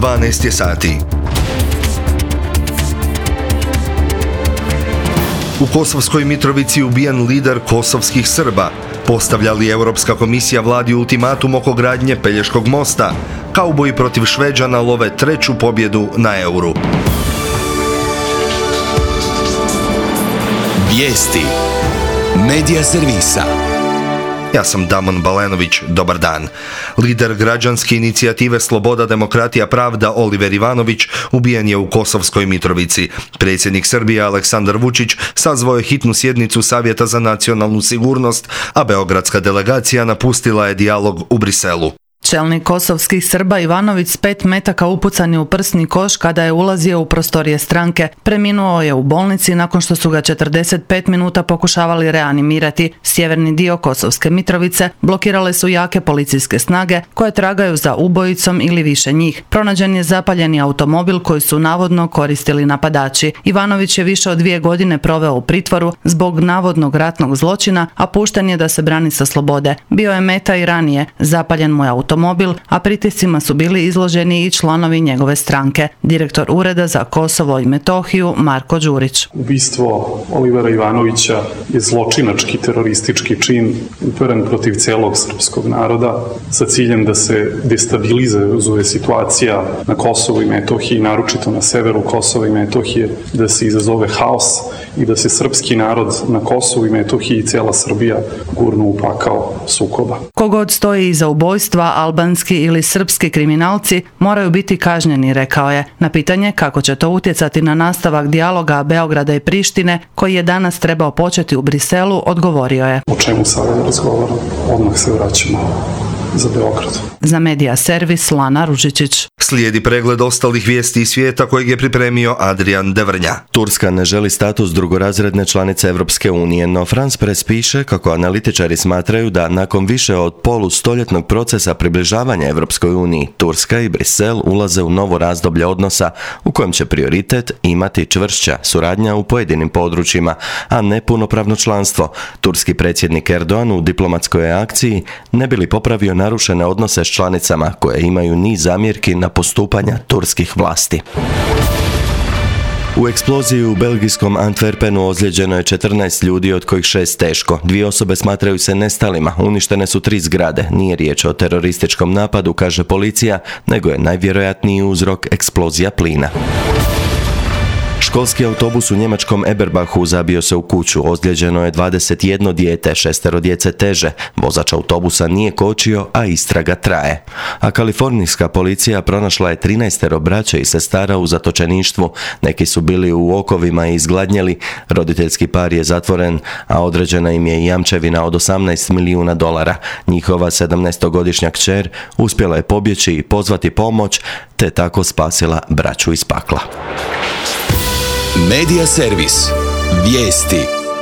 12 je sati. U Kosovskoj Mitrovici ubijen lider kosovskih Srba. Postavlja li Europska komisija vladi ultimatum oko gradnje Pelješkog mosta? Kauboji protiv Šveđana love treću pobjedu na Euru. Vijesti Medija servisa. Ja sam Damon Balenović, dobar dan. Lider građanske inicijative Sloboda, demokratija, pravda Oliver Ivanović ubijen je u Kosovskoj Mitrovici. Predsjednik Srbije Aleksandar Vučić sazvao je hitnu sjednicu Savjeta za nacionalnu sigurnost, a beogradska delegacija napustila je dijalog u Briselu. Čelnik kosovskih Srba Ivanović s 5 metaka upucan je u prsni koš kada je ulazio u prostorije stranke. Preminuo je u bolnici nakon što su ga 45 minuta pokušavali reanimirati. Sjeverni dio Kosovske Mitrovice blokirale su jake policijske snage koje tragaju za ubojicom ili više njih. Pronađen je zapaljeni automobil koji su navodno koristili napadači. Ivanović je više od 2 godine proveo u pritvoru zbog navodnog ratnog zločina, a pušten je da se brani sa slobode. Bio je meta i ranije, zapaljen mu je automobil, a pritiscima su bili izloženi i članovi njegove stranke. Direktor Ureda za Kosovo i Metohiju Marko Đurić. Ubistvo Olivera Ivanovića je zločinački teroristički čin uperen protiv celog srpskog naroda sa ciljem da se destabilizuje situacija na Kosovu i Metohiji, naročito na severu Kosova i Metohije, da se izazove haos i da se srpski narod na Kosovu i Metohiji i cela Srbija gurnu u pakao sukoba. Kogod stoji iza ubojstva, albanski ili srpski kriminalci moraju biti kažnjeni, rekao je. Na pitanje kako će to utjecati na nastavak dijaloga Beograda i Prištine, koji je danas trebao početi u Briselu, odgovorio je. O čemu sada razgovaram? Odmah se vraćamo za Beograd. Za Medija servis Lana Ružičić. Slijedi pregled ostalih vijesti iz svijeta kojeg je pripremio Adrian Devrnja. Turska ne želi status drugorazredne članice Europske unije, no France Press piše kako analitičari smatraju da nakon više od polustoljetnog procesa približavanja Europskoj uniji, Turska i Brisel ulaze u novo razdoblje odnosa u kojem će prioritet imati čvršća suradnja u pojedinim područjima, a ne punopravno članstvo. Turski predsjednik Erdogan u diplomatskoj akciji ne bi li popravio narušene odnose s članicama koje imaju niz zamjerki na postupanja turskih vlasti. U eksploziji u belgijskom Antwerpenu ozlijeđeno je 14 ljudi, od kojih 6 teško. 2 osobe smatraju se nestalima, uništene su 3 zgrade. Nije riječ o terorističkom napadu, kaže policija, nego je najvjerojatniji uzrok eksplozija plina. Školski autobus u njemačkom Eberbachu zabio se u kuću. Ozlijeđeno je 21 dijete, 6 djece teže. Vozač autobusa nije kočio, a istraga traje. A kalifornijska policija pronašla je 13 braće i sestara u zatočeništvu. Neki su bili u okovima i izgladnjeli. Roditeljski par je zatvoren, a određena im je jamčevina od $18 milijuna. Njihova 17-godišnja kćer uspjela je pobjeći i pozvati pomoć, te tako spasila braću iz pakla. Medija servis. Vijesti.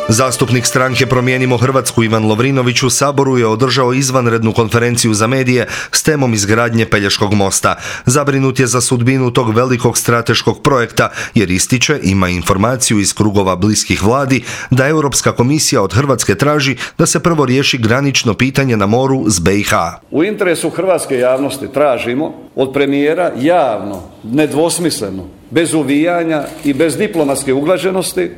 Zastupnik stranke Promijenimo Hrvatsku Ivan Lovrinović u Saboru je održao izvanrednu konferenciju za medije s temom izgradnje Pelješkog mosta. Zabrinut je za sudbinu tog velikog strateškog projekta jer ističe, ima informaciju iz krugova bliskih vladi, da Europska komisija od Hrvatske traži da se prvo riješi granično pitanje na moru s BiH. U interesu hrvatske javnosti tražimo od premijera javno, nedvosmisleno, bez uvijanja i bez diplomatske uglađenosti,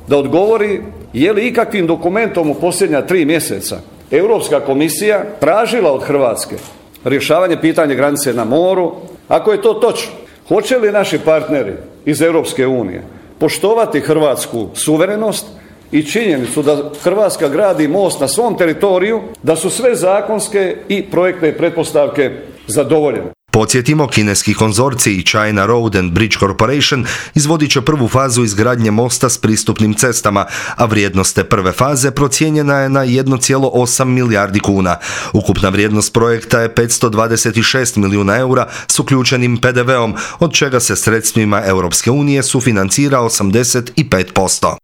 da odgovori je li ikakvim dokumentom u posljednja 3 mjeseca Europska komisija tražila od Hrvatske rješavanje pitanja granice na moru. Ako je to točno, hoće li naši partneri iz Europske unije poštovati hrvatsku suverenost i činjenicu da Hrvatska gradi most na svom teritoriju, da su sve zakonske i projektne pretpostavke zadovoljene. Podsjetimo, kineski konzorcij China Road and Bridge Corporation izvodit će prvu fazu izgradnje mosta s pristupnim cestama, a vrijednost te prve faze procijenjena je na 1,8 milijardi kuna. Ukupna vrijednost projekta je 526 milijuna eura s uključenim PDV-om, od čega se sredstvima Europske unije sufinancira 85%.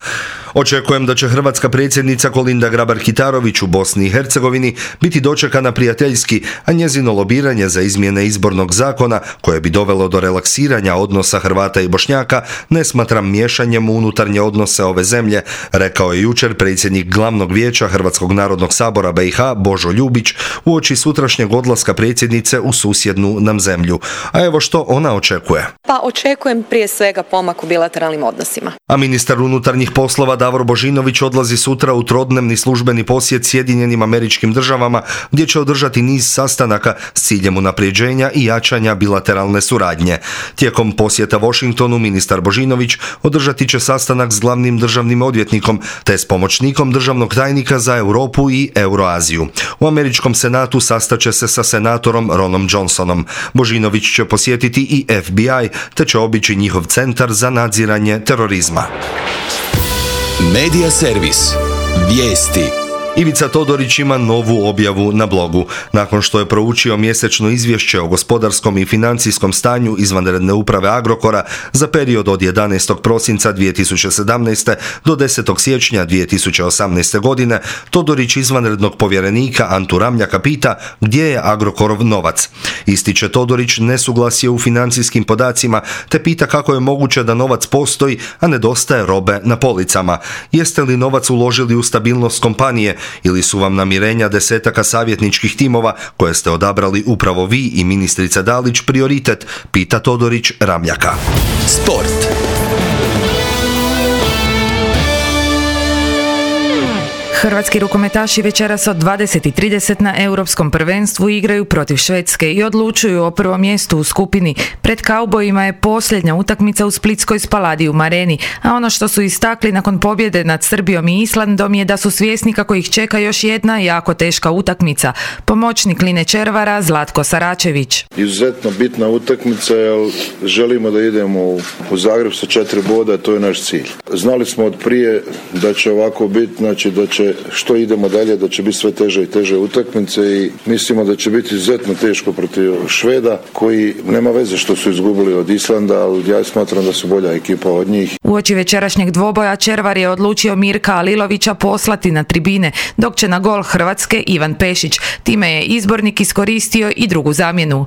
Očekujem da će hrvatska predsjednica Kolinda Grabar-Kitarović u Bosni i Hercegovini biti dočekana prijateljski, a njezino lobiranje za izmjene izbornog ustavnog zakona koje bi dovelo do relaksiranja odnosa Hrvata i Bošnjaka ne smatram miješanjem u unutarnje odnose ove zemlje, rekao je jučer predsjednik Glavnog vijeća Hrvatskog narodnog sabora BiH Božo Ljubić uoči sutrašnjeg odlaska predsjednice u susjednu nam zemlju. A evo što ona očekuje. Pa očekujem prije svega pomak u bilateralnim odnosima. A ministar unutarnjih poslova Davor Božinović odlazi sutra u trodnevni službeni posjet Sjedinjenim Američkim Državama gdje će održati niz sastanaka s ciljem unapređenja i jačanja bilateralne suradnje. Tijekom posjeta Washingtonu ministar Božinović održati će sastanak s glavnim državnim odvjetnikom te s pomoćnikom državnog tajnika za Europu i Euroaziju. U Američkom senatu sastaće se sa senatorom Ronom Johnsonom. Božinović će posjetiti i FBI te će obići njihov centar za nadziranje terorizma. Medija servis. Vijesti. Ivica Todorić ima novu objavu na blogu. Nakon što je proučio mjesečno izvješće o gospodarskom i financijskom stanju izvanredne uprave Agrokora za period od 11. prosinca 2017. do 10. siječnja 2018. godine, Todorić izvanrednog povjerenika Antu Ramljaka pita gdje je Agrokorov novac. Ističe Todorić nesuglasje u financijskim podacima te pita kako je moguće da novac postoji, a nedostaje robe na policama. Jeste li novac uložili u stabilnost kompanije ili su vam namirenja desetaka savjetničkih timova koje ste odabrali upravo vi i ministrica Dalić prioritet, pita Todorić Ramljaka. Sport. Hrvatski rukometaši večeras od 20:30 na Europskom prvenstvu igraju protiv Švedske i odlučuju o prvom mjestu u skupini. Pred kaubojima je posljednja utakmica u splitskoj Spaladium areni, a ono što su istakli nakon pobjede nad Srbijom i Islandom je da su svjesni kako ih čeka još jedna jako teška utakmica. Pomoćnik Line Červara Zlatko Saračević. Izuzetno bitna utakmica jer želimo da idemo u Zagreb sa 4 boda, to je naš cilj. Znali smo od prije da će ovako biti, znači da će što idemo dalje, da će biti sve teže i teže utakmice i mislimo da će biti izuzetno teško protiv Šveda koji nema veze što su izgubili od Islanda, ali ja smatram da su bolja ekipa od njih. Uoči večerašnjeg dvoboja Červar je odlučio Mirka Alilovića poslati na tribine, dok će na gol Hrvatske Ivan Pešić. Time je izbornik iskoristio i drugu zamjenu.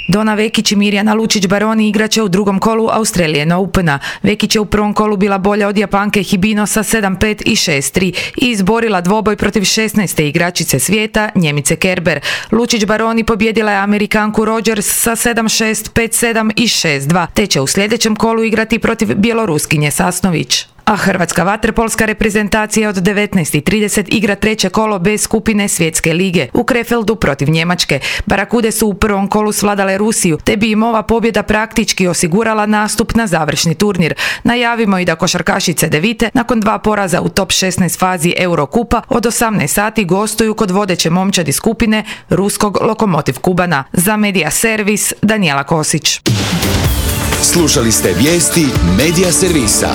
Dona Vekić i Mirjana Lučić-Baroni igraće u drugom kolu Australian Opena. Vekić je u prvom kolu bila bolja od Japanke Hibino sa 7-5 i 6-3 i izborila dvoboj protiv 16. igračice svijeta Njemice Kerber. Lučić-Baroni pobjedila je Amerikanku Rogers sa 7-6, 5-7 i 6-2, te će u sljedećem kolu igrati protiv Bjeloruskinje Sasnović. A hrvatska vaterpolska reprezentacija od 19:30 igra treće kolo B skupine Svjetske lige u Krefeldu protiv Njemačke. Barakude su u prvom kolu svladale Rusiju, te bi im ova pobjeda praktički osigurala nastup na završni turnir. Najavimo i da košarkašice Devite nakon 2 poraza u top 16 fazi Eurokupa od 18 sati gostuju kod vodeće momčadi skupine ruskog Lokomotiv Kubana. Za Medija servis Danijela Kosić. Slušali ste vijesti Medija servisa.